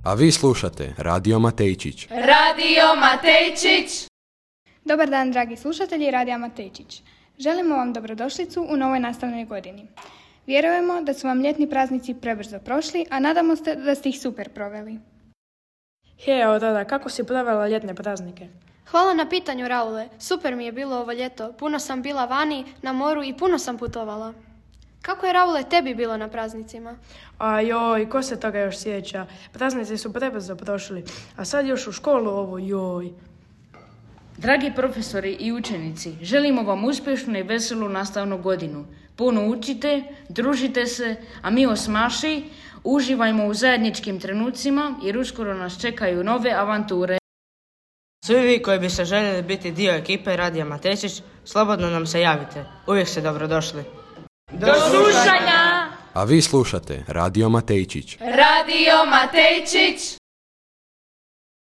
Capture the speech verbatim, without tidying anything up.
A vi slušate Radio Matejčić. Radio Matejčić! Dobar dan, dragi slušatelji Radija Matejčić. Želimo vam dobrodošlicu u novoj nastavnoj godini. Vjerujemo da su vam ljetni praznici prebrzo prošli, a nadamo se da ste ih super proveli. Hej, evo tada, kako si provela ljetne praznike? Hvala na pitanju, Raule. Super mi je bilo ovo ljeto. Puno sam bila vani, na moru i puno sam putovala. Kako je, Raule, tebi bilo na praznicima? A joj, ko se toga još sjeća? Praznici su prebrzo prošli, a sad još u školu ovo, joj. Dragi profesori i učenici, želimo vam uspješnu i veselu nastavnu godinu. Puno učite, družite se, a mi osmaši uživajmo u zajedničkim trenucima jer uskoro nas čekaju nove avanture. Svi vi koji biste željeli biti dio ekipe Radija Matejčić, slobodno nam se javite. Uvijek ste dobrodošli. Do slušanja! A vi slušate Radio Matejčić. Radio Matejčić!